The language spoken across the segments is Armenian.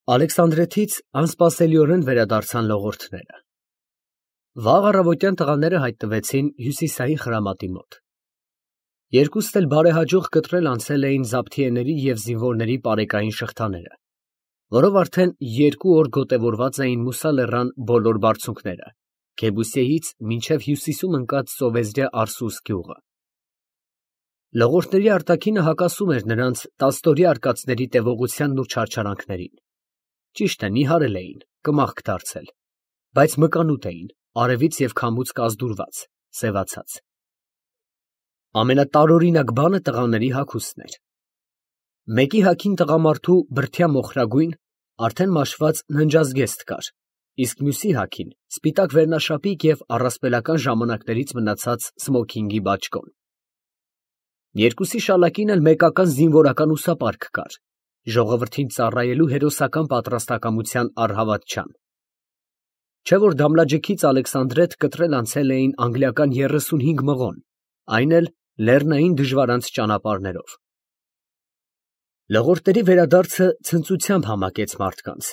Ալեքսանդրետից անսպասելիորեն վերադարձան լողորդները։ Վաղ առավոտյան տղաները հայտնվեցին Հյուսիսային խրամատի մոտ։ Երկուստ էլ բարեհաջող կտրել անցել էին զաբթիեների և զինվորների պարեկային շղթաները, որով արդեն 2 օր գոտևորված էին Մուսա լեռան բոլոր բարձունքները, Քեբուսեից մինչև հյուսիսում ընկած Սովեզրյա Արսուս գյուղը։ Լողորդների արտաքինը հակասում էր նրանց տասնօրյա արկածների տևողությանն ու չարչարանքներին։ Ճիշտ է, նիհարել էին, կմախք դարձել, բայց մկանուտ էին, արևից և քամուց կազդուրված, սևացած։ Ամենատարօրինակ բանը տղաների հագուստն էր։ Մեկի հագին տղամարդու բրդյա մոխրագույն, արդեն մաշված ննջազգեստ կար, իսկ մյուսի հագին սպիտակ վերնաշապիկ և առասպելական ժամանակներից մնացած սմոքինգի բաճկոն։ Երկուսի շալակին էլ մեկական զինվորական ուսապարկ կար, ժողովրդին ծառայելու հերոսական պատրաստակամության առհավատչան։ Չէ որ Դամլաջեքից Ալեքսանդրետ կտրել անցել էին անգլիական 35 մղոն, այն էլ լեռնային դժվարանց ճանապարհներով։ Լողորդների վերադարձը ցնծությամբ համակեց մարդկանց,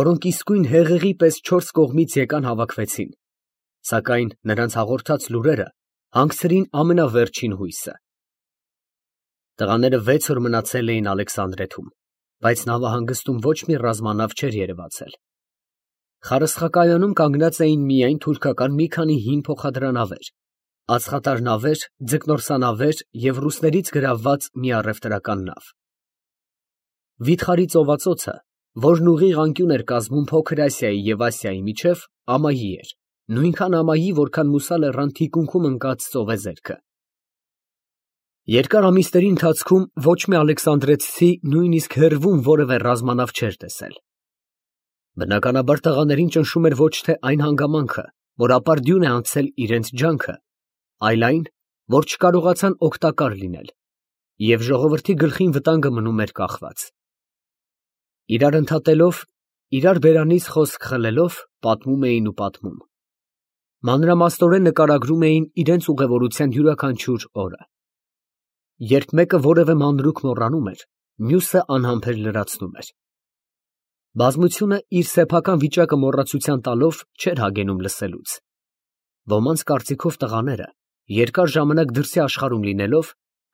որոնք իսկույն հեղեղի պես 4 կողմից եկան հավաքվեցին, սակայն նրանց հաղորդած լուրերը հանգցրին ամենավերջին հույսը։ Տղաները 6 օր մնացել էին Ալեքսանդրեթում, բայց նավահանգստում ոչ մի ռազմանավ չէր երևացել։ Խարսխակայանում կանգնած էին միայն թուրքական մի քանի հին փոխադրանավեր, ածխատար նավեր, ձկնորսանավեր և ռուսներից գրավված մի առևտրական նավ։ Վիթխարի ծովածոցը, որն ուղիղ անկյուն էր կազմում Փոքր Ասիայի և Ասիայի միջև, ամայի էր, նույնքան ամայի, որքան Մուսա լեռան թիկունքում ընկած ծովեզերքը։ Երկար ամիսների ընթացքում ոչ մի ալեքսանդրեցի նույնիսկ հեռվում որևէ ռազմանավ չէր տեսել։ Բնականաբար տղաներին ճնշում էր ոչ թե այն հանգամանքը, որ ապարդյուն է անցել իրենց ջանքը, այլ այն, որ չկարողացան օգտակար լինել, և ժողովրդի գլխին վտանգը մնում էր կախված։ Իրար ընդհատելով, իրար բերանից խոսք խլելով, պատմում էին ու պատմում։ Մանրամասնորեն նկարագրում էին իրենց ուղևորության յուրաքանչյուր օրը։ Երբ մեկը որևէ մանրուք մոռանում էր, մյուսը անհամբեր լրացնում էր։ Բազմությունը իր սեփական վիճակը մոռացության տալով չէր հագենում լսելուց։ Ոմանց կարծիքով տղաները, երկար ժամանակ դրսի աշխարհում լինելով,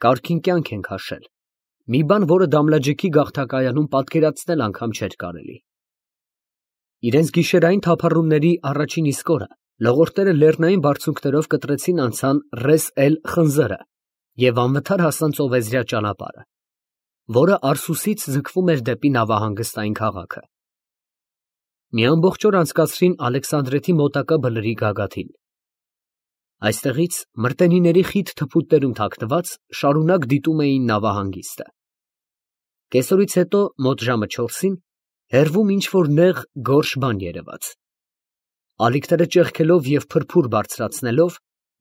կարգին կյանք են քաշել, մի բան, որը Դամլաջեքի գաղթակայանում պատկերացնել անգամ չէր կարելի։ Իրենց գիշերային թափառումների առաջին իսկ օրը լողորդները լեռնային բարձունքներով կտրեցին անցան Ռես էլ Խնձորը և անվթար հասան ծովեզրյա ճանապարհը, որը Արսուսից ձգվում էր դեպի նավահանգստային քաղաքը։ Մի ամբողջ օր անցկացրին Ալեքսանդրետի մոտակա բլրի գագաթին։ Այստեղից մրտենիների խիտ թփուտներում թաքնված շարունակ դիտում էին նավահանգիստը։ Կեսօրից հետո մոտ ժամը 4-ին հեռվում ինչ-որ նեղ գորշ բան երևաց։ Ալիքները ճեղքելով և փրփուր բարձրացնելով,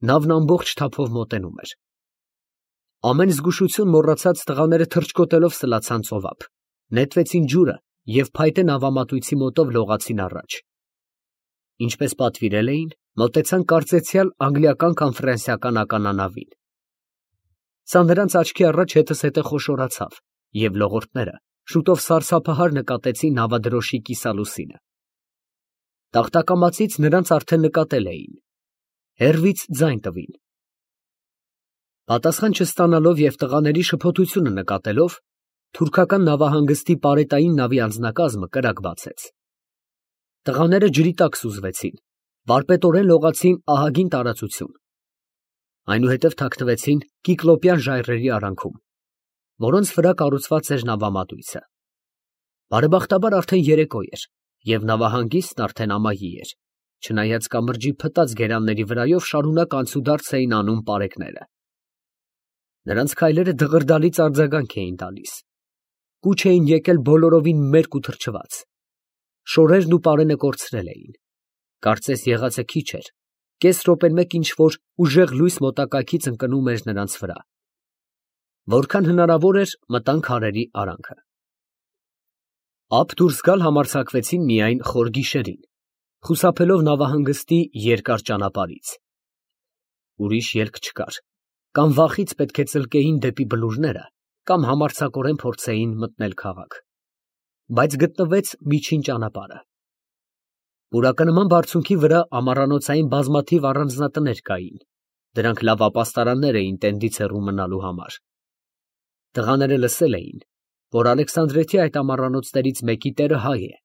նավն ամբողջ թափով մոտենում էր։ Ամեն զգուշություն մոռացած տղաները թռչկոտելով սլացան ծովափ, նետվեցին ջուրը և փայտե նավամատույցի մոտով լողացին առաջ։ Ինչպես պատվիրել էին, մոտեցան կարծեցյալ անգլիական կամ ֆրանսիական ականանավին։ Սա նրանց աչքի առաջ հետզհետե խոշորացավ, և լողորդները շուտով սարսափահար նկատեցին նավադրոշի կիսալուսինը։ Տախտակամածից նրանց արդեն նկատել էին։ Հեռվից ձայն տվին։ Պատասխան չստանալով և տղաների շփոթությունը նկատելով, թուրքական նավահանգստի պարետային նավի անձնակազմը կրակ բացեց։ Տղաները ջրի տակ սուզվեցին, վարպետորեն լողացին ահագին տարածություն։ Այնուհետև թաքնվեցին կիկլոպյան ժայռերի արանքում, որոնց վրա կառուցված էր նավամատույցը։ Բարեբախտաբար արդեն երեկո էր, և նավահանգիստն արդեն ամայի էր, չնայած կամրջի փտած գերանների վրայով շարունակ անցուդարձ էին անում պարեկները։ Նրանց քայլերը դղրդալից արձագանք էին տալիս։ Կուչ էին եկել բոլորովին մերկ ու թրջված։ Շորերն ու պարենը կորցրել էին։ Կարծես եղածը քիչ էր, կես րոպեն մեկ ինչ-որ ուժեղ լույս մոտակայքից ընկնում էր նրանց վրա։ Որքան հնարավոր էր, մտան քարերի արանքը։ Ափ դուրս գալ համարձակվեցին միայն խոր գիշերին, խուսափելով նավահանգստի երկար ճանապարհից։ Ուրիշ ելք չկար, կամ վախից պետք է ծլկեին դեպի բլուրները, կամ համարձակորեն փորձեին մտնել քաղաք։ բայց գտնվեց միջին ճանապարհը։ Պուրակնման բարձունքի վրա ամառանոցային բազմաթիվ առանձնատներ կային, դրանք լավ ապաստարաններ էին տենդից հեռու մնալու համար։ Տղաները լսել էին, որ Ալեքսանդրիեթի այդ ամառանոցներից մեկի տերը հայ է։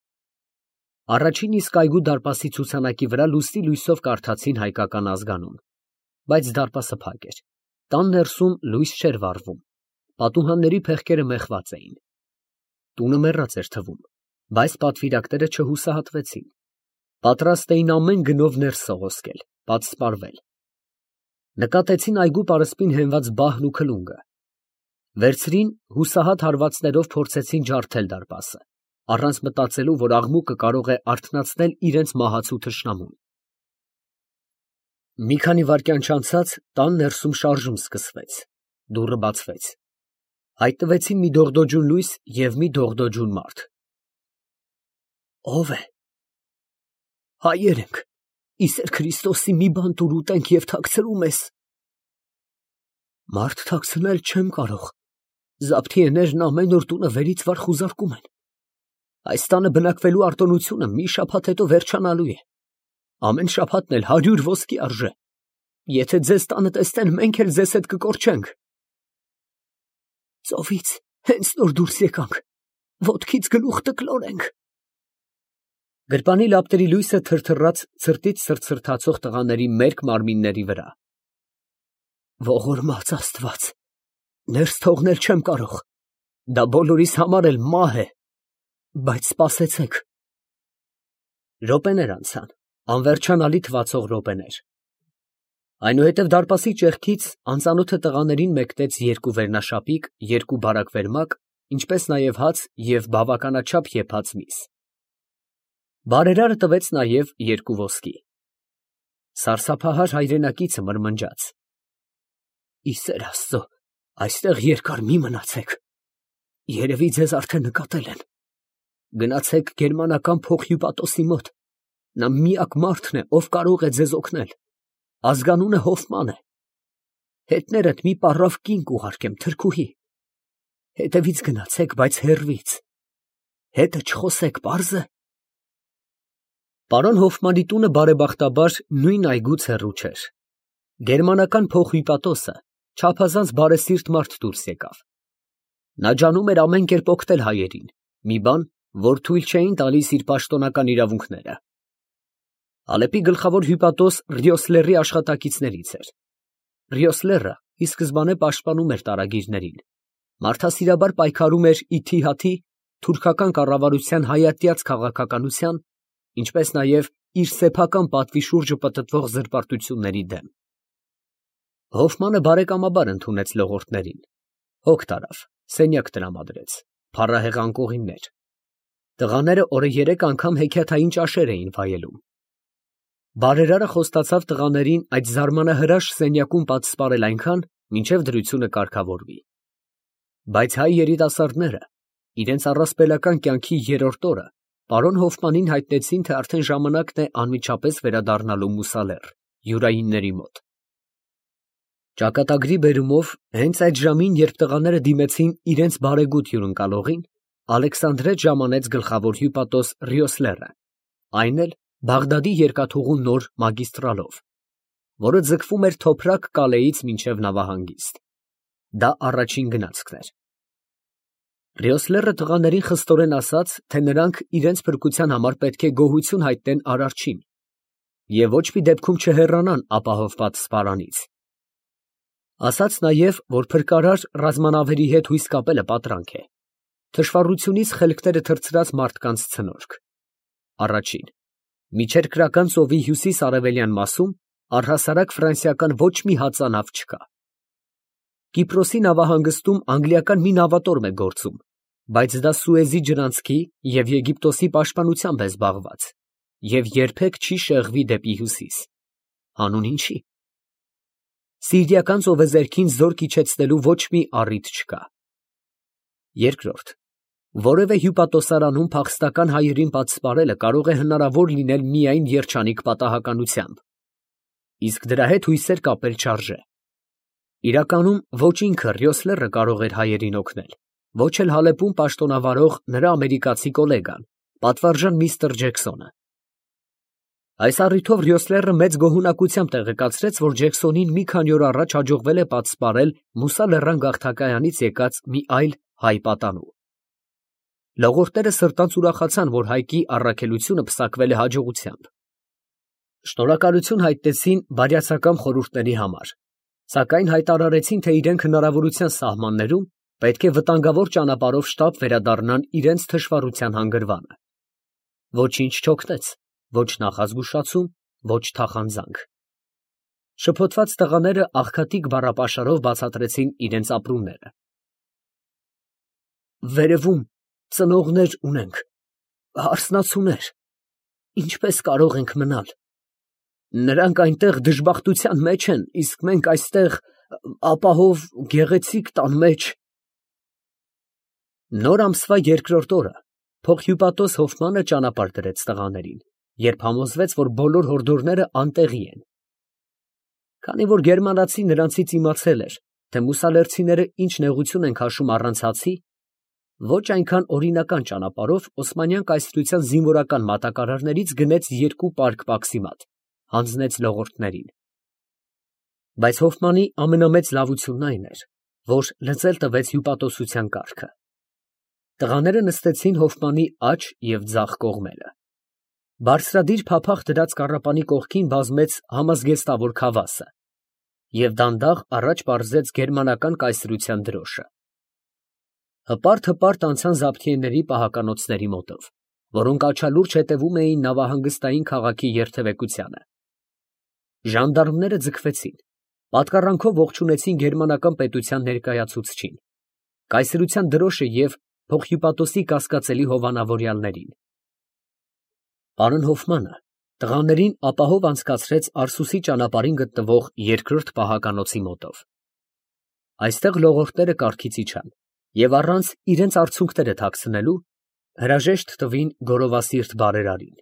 Առաջին իսկ այգու դարպասի ցուցանակի վրա լուսնի լույսով կարդացին հայկական ազգանուն, բայց դարպասը փակ էր, տան ներսում լույս չէր վառվում, պատուհանների փեղկերը մեխված էին։ Տունը մեռած էր թվում, բայց պատվիրակները չհուսահատվեցին, պատրաստ էին ամեն գնով ներս սողոսկել, պատսպարվել։ Նկատեցին այգու պարսպին հենված բահն ու քլունգը, վերցրին հուսահատ հարվածներով փորձեցին ջարդել դարպասը, առանց մտածելու, որ աղմուկը կարող է արթնացնել իրենց մահացու թշնամուն։ Մի քանի վայրկյան չանցած տան ներսում շարժում սկսվեց, դուռը բացվեց, հայտնվեցին մի դողդոջուն լույս և մի դողդոջուն մարդ։ Ո՞վ է։ Հայեր ենք, Իսեր Քրիստոսի մի բան տուր ուտենք և թաքցրու մեզ։ Մարդ թաքցնել չեմ կարող, զաբթիեներն ամեն օր տունը վերից վար խուզարկում են։ Այս տանը բնակվելու արտոնությունը մի շաբաթ հետո վերջանալու է, ամեն շաբաթն էլ 100 ոսկի արժե, եթե ձեզ տանը տեսնեն, մենք էլ ձեզ հետ կկորչենք։ Ծովից հենց նոր դուրս եկանք, ոտքից գլուխ տկլոր ենք։ Գրպանի լապտերի լույսը թրթռաց ցրտից սրտացող տղաների մերկ մարմինների վրա։ Ողորմած Աստված, ներս թողնել չեմ կարող, դա բոլորիս համար էլ մահ է, բայց սպասեցեք։ Րոպեներ անցան, անվերջանալի թվացող րոպեներ։ Այնուհետև դարպասի ճեղքից անծանոթը տղաներին մեկնեց երկու վերնաշապիկ, երկու բարակ վերմակ, ինչպես նաև հաց և բավականաչափ եփած միս։ Բարերարը տվեց նաև երկու ոսկի։ Սարսափահար հայրենակիցը մրմնջաց. Իսեր Աստծո, այստեղ երկար մի մնացեք, երևի ձեզ արդեն նկատել են։ Գնացեք գերմանական փոխ հյուպատոսի մոտ, նա միակ մարդն է, ով կարող է ձեզ օգնել, ազգանունը Հոֆման է, հետներդ մի պառավ կին կուղարկեմ, թրքուհի, հետևից գնացեք, բայց հեռվից, հետը չխոսեք, պարզ է։ Պարոն Հոֆմանի տունը բարեբախտաբար նույն այգուց հեռու չէր։ Գերմանական փոխ հյուպատոսը չափազանց բարեսիրտ մարդ դուրս եկավ։ Նա ջանում էր ամեն կերպ օգնել հայերին, մի բան, որ թույլ չէին տալիս իր պաշտոնական իրավունքները։ Ալեպի գլխավոր հյուպատոս Ռիոսլերի աշխատակիցներից էր։ Ռիոսլերը ի սկզբանե պաշտպանում էր տարագիրներին, մարդասիրաբար պայքարում էր իթիհաթի թուրքական կառավարության հայատյաց քաղաքականության, ինչպես նաև իր սեփական պատվի շուրջը պտտվող զրպարտությունների դեմ։ Հոֆմանը բարեկամաբար ընդունեց լողորդներին, հոգ տարավ, սենյակ տրամադրեց, փառահեղ անկողիններ։ Տղաները օրը 3 անգամ հեքիաթային ճաշեր էին վայելում։ Բարերարը խոստացավ տղաներին այդ զարմանահրաշ սենյակում պատսպարել այնքան, մինչև դրությունը կարգավորվի։ Բայց հայ երիտասարդները իրենց առասպելական կյանքի երրորդ օրը պարոն Հոֆմանին հայտնեցին, թե արդեն ժամանակն է անմիջապես վերադառնալու Մուսալեռ, յուրայինների մոտ։ Ճակատագրի բերումով հենց այդ ժամին, երբ տղաները դիմեցին իրենց բարեգութ հյուրընկալողին, Ալեքսանդրետ ժամանեց գլխավոր հյուպատոս Ռիոսլերը, այն էլ Բաղդադի երկաթուղու նոր մագիստրալով, որը ձգվում էր Թոփրակ Կալեից մինչև նավահանգիստ։ Դա առաջին գնացքն էր։ Ռիոսլերը տղաներին խստորեն ասաց, թե նրանք իրենց փրկության համար պետք է գոհություն հայտնեն Արարչին և ոչ մի դեպքում չհեռանան ապահովված սպարանից։ Ասաց նաև, որ փրկարար ռազմանավերի հետ հույս կապելը պատրանք է, թշվառությունից խելքները թռցրած մարդկանց ցնորք։ Առաջին, միջերկրական ծովի հյուսիս֊արևելյան մասում առհասարակ ֆրանսիական ոչ մի հածանավ չկա։ Կիպրոսի նավահանգստում անգլիական մի նավատորմ է գործում, բայց դա Սուեզի ջրանցքի և Եգիպտոսի պաշտպանությամբ է զբաղված և երբեք չի շեղվի դեպի հյուսիս։ Հանուն ինչի։ Սիրիական ծովեզերքին զորք իջեցնելու ոչ մի առիթ չկա։ Երկրորդ, որևէ հյուպատոսարանում փախստական հայերին պատսպարելը կարող է հնարավոր լինել միայն երջանիկ պատահականությամբ, իսկ դրա հետ հույսեր կապել չարժե։ Իրականում ոչ ինքը Ռիոսլերը կարող էր հայերին օգնել, Ոչ էլ Հալեպում պաշտոնավարող նրա ամերիկացի կոլեգան, պատվարժան միստր Ջեքսոնը։ Այս առիթով Ռյոսլերը մեծ գոհունակությամբ տեղեկացրեց, որ Ջեքսոնին մի քանի օր առաջ հաջողվել է պատսպարել Մուսա լեռան գաղթակայանից եկած մի այլ հայ պատանու։ Լողորտները սրտանց ուրախացան, որ Հայկի առաքելությունը պսակվել է հաջողությամբ։ Շնորհակալություն հայտնեցին բարյացակամ խորհուրդների համար, սակայն հայտարարեցին, թե իրենք հնարավորության սահմաններում պետք է վտանգավոր ճանապարհով շտապ վերադառնան իրենց թշվառության հանգրվանը։ Ոչինչ չօգնեց, ոչ նախազգուշացում, ոչ թախանձանք։ Շփոթված տղաները աղքատիկ բառապաշարով բացատրեցին իրենց ապրումները։ Վերևում ծնողներ ունենք, հարսնացուներ, ինչպես կարող ենք մնալ։ Նրանք այնտեղ դժբախտության մեջ են, իսկ մենք այստեղ ապահով գեղեցիկ տան մեջ։ Նոր ամսվա երկրորդ օրը փոխհյուպատոս Հոֆմանը ճանապարհ դրեց տղաներին, երբ համոզվեց, որ բոլոր հորդորները անտեղի են։ Քանի որ գերմանացին նրանցից իմացել էր, թե մուսալերցիները ինչ նեղություն են քաշում առանց հացի, ոչ այնքան օրինական ճանապարհով Օսմանյան կայսրության զինվորական մատակարարներից գնեց 2 պարկ պաքսիմատ, հանձնեց լողորդներին։ Բայց Հոֆմանի ամենամեծ լավությունն այն էր, որ լծել տվեց հյուպատոսության կարգը։ Տղաները նստեցին Հոֆմանի աջ և ձախ կողմերը։ Բարձրադիր փափախ դրած կառապանի կողքին բազմեց համազգեստավոր քավասը և դանդաղ առաջ պարզեց գերմանական կայսրության դրոշը։ Հպարտ անցան զաբթիեների պահականոցների մոտով, որոնք աչալուրջ հետևում էին նավահանգստային քաղաքի երթևեկությանը։ Ժանդարմները ձգվեցին, պատկառանքով ողջունեցին գերմանական պետության ներկայացուցչին, կայսրության դրոշը և փոխհյուպատոսի կասկածելի հովանավորյալներին։ Պարոն Հոֆմանը տղաներին ապահով անցկացրեց Արսուսի ճանապարհին գտնվող երկրորդ պահականոցի մոտով։ Այստեղ լողորդները կառքից իջան և առանց իրենց արցունքները թաքցնելու հրաժեշտ տվին գորովասիրտ բարերարին։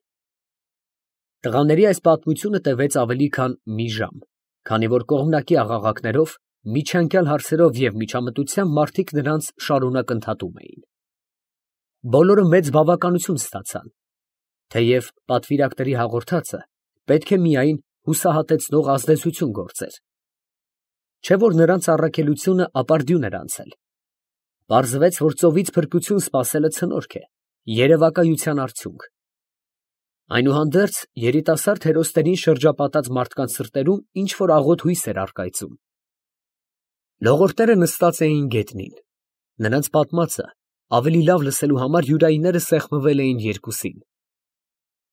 Տղաների այս պատմությունը տևեց ավելի քան մի ժամ, քանի որ կողմնակի աղաղակներով, միջանկյալ հարցերով և միջամտությամբ մարդիկ նրանց շարունակ ընդհատում էին։ Բոլորը մեծ բավականություն ստացան, թեև պատվիրակների հաղորդածը պետք է միայն հուսահատեցնող ազդեցություն գործեր։ Չէ որ նրանց առաքելությունը ապարդյուն էր անցել։ Պարզվեց, որ ծովից փրկություն սպասելը ցնորք է, երևակայության արդյունք։ Այնուհանդերձ երիտասարդ հերոսներին շրջապատած մարդկանց սրտերում ինչ֊որ աղոտ հույս էր առկայծում։ Լողորդները նստած էին գետնին։ Նրանց պատմածը ավելի լավ լսելու համար յուրայինները սեղմվել էին երկուսին։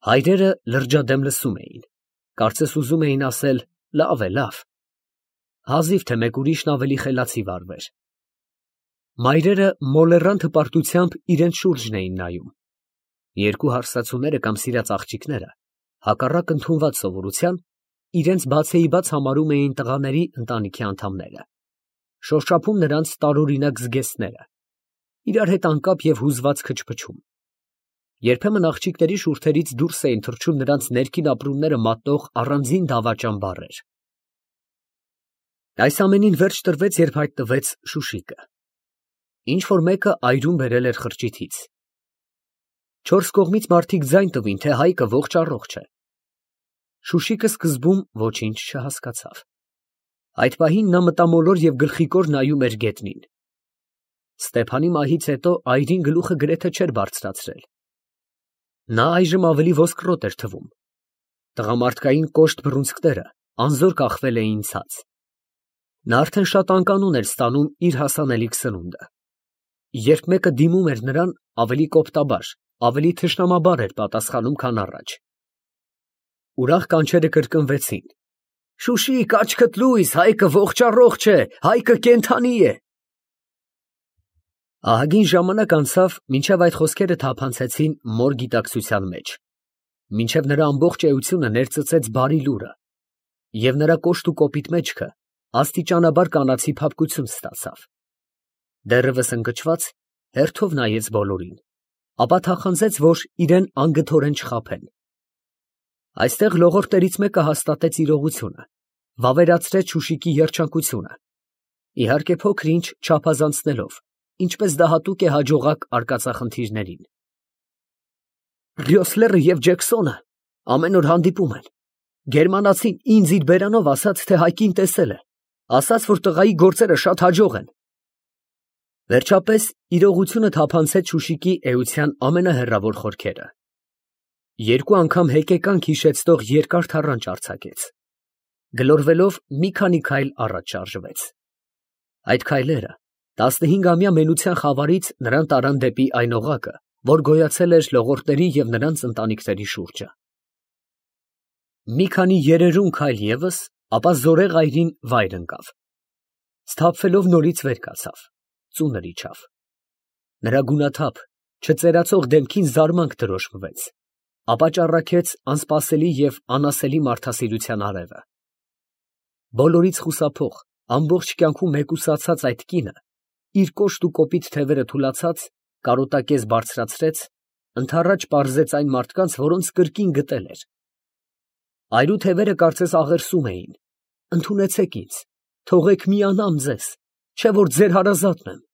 Հայրերը լրջադեմ լսում էին, կարծես ուզում էին ասել. լավ է, լավ։ Հազիվ թե մեկ ուրիշն ավելի խելացի վարվեր։ Մայրերը մոլեռանդ հպարտությամբ իրենց շուրջն էին նայում։ Երկու հարսացուները կամ սիրած աղջիկները, հակառակ ընդունված սովորության, իրենց բացեիբաց համարում էին տղաների ընտանիքի անդամները, շոշափում նրանց տարօրինակ զգեստները, իրար հետ անկապ և հուզված քչփչում։ Երբեմն աղջիկների շուրթերից դուրս էին թռչում նրանց ներքին ապրումները մատնող առանձին դավաճան բառեր։ Այս ամենին վերջ տրվեց, երբ հայտնվեց Շուշիկը։ Ինչ֊որ մեկը այրում բերել էր խրճիթից։ Չորս կողմից մարդիկ ձայն տվին, թե Հայկը ողջ֊առողջ է։ Շուշիկը սկզբում ոչինչ չհասկացավ։ Այդ պահին նա մտամոլոր և գլխիկոր նայում էր գետնին։ Ստեփանի մահից հետո այրին գլուխը գրեթե չէր բարձրացրել։ Նա այժմ ավելի ոսկրոտ էր թվում։ Տղամարդկային կոշտ բռունցքները անզոր կախվել էին ցած։ Նա արդեն շատ անկանոն էր ստանում իր հասանելիք սնունդը։ Երբ մեկը դիմում էր նրան, ավելի կոպտաբար, ավելի թշնամաբար էր պատասխանում, քան առաջ։ Ուրախ կանչերը կրկնվեցին. «Շուշիկ, աչքդ լույս, Հայկը ողջ֊առողջ է, Հայկը կենդանի է»։ Ահագին ժամանակ անցավ, մինչև այդ խոսքերը թափանցեցին մոր գիտակցության մեջ, մինչև նրա ամբողջ էությունը ներծծեց բարի լուրը, և նրա կոշտ ու կոպիտ մեջքը աստիճանաբար կանացի փափկություն ստացավ։ Դեռևս ընկճված, հերթով նայեց բոլորին, ապա թախանձեց, որ իրեն անգթորեն չխաբեն։ Այստեղ լողորդներից մեկը հաստատեց իրողությունը, վավերացրեց Շուշիկի երջանկությունը, իհարկե փոքր ինչ չափազանցնելով, ինչպես դա հատուկ է հաջողակ արկածախնդիրներին։ Ռյոսլերը և Ջեքսոնը ամեն օր հանդիպում են։ Գերմանացին ինձ իր բերանով ասաց, թե Հայկին տեսել է, ասաց, որ տղայի գործերը շատ հաջող են։ Վերջապես իրողությունը թափանցեց Շուշիկի էության ամենահեռավոր խորքերը։ Երկու անգամ հեկեկանք հիշեցնող երկար թառանչ արձակեց։ Գլորվելով մի քանի քայլ առաջ շարժվեց։ Այդ քայլերը 15-ամյա մենության խավարից նրան տարան դեպի այն օղակը, որ գոյացել էր լողորտների և նրանց ընտանիքների շուրջը։ Մի քանի երերուն քայլ ևս, ապա զորեղ այրին վայր ընկավ։ Սթափվելով նորից վեր կացավ, ծունր իջավ։ Նրա գունաթափ, չծերացող դեմքին զարմանք դրոշմվեց, ապա ճառագեց անսպասելի և անասելի մարդասիրության արևը։ Բոլորից խուսափող, ամբողջ կյանքում մեկուսացած այդ կինը, իր կոշտ ու կոպիտ թևերը թուլացած, կարոտակեզ բարձրացրեց, ընդառաջ պարզեց այն մարդկանց, որոնց կրկին գտել էր։ Այրու թևերը կարծես աղերսում էին. «Ընդունեցեք ինձ, թողեք միանամ ձեզ, չէ որ ձեր հարազատն եմ»։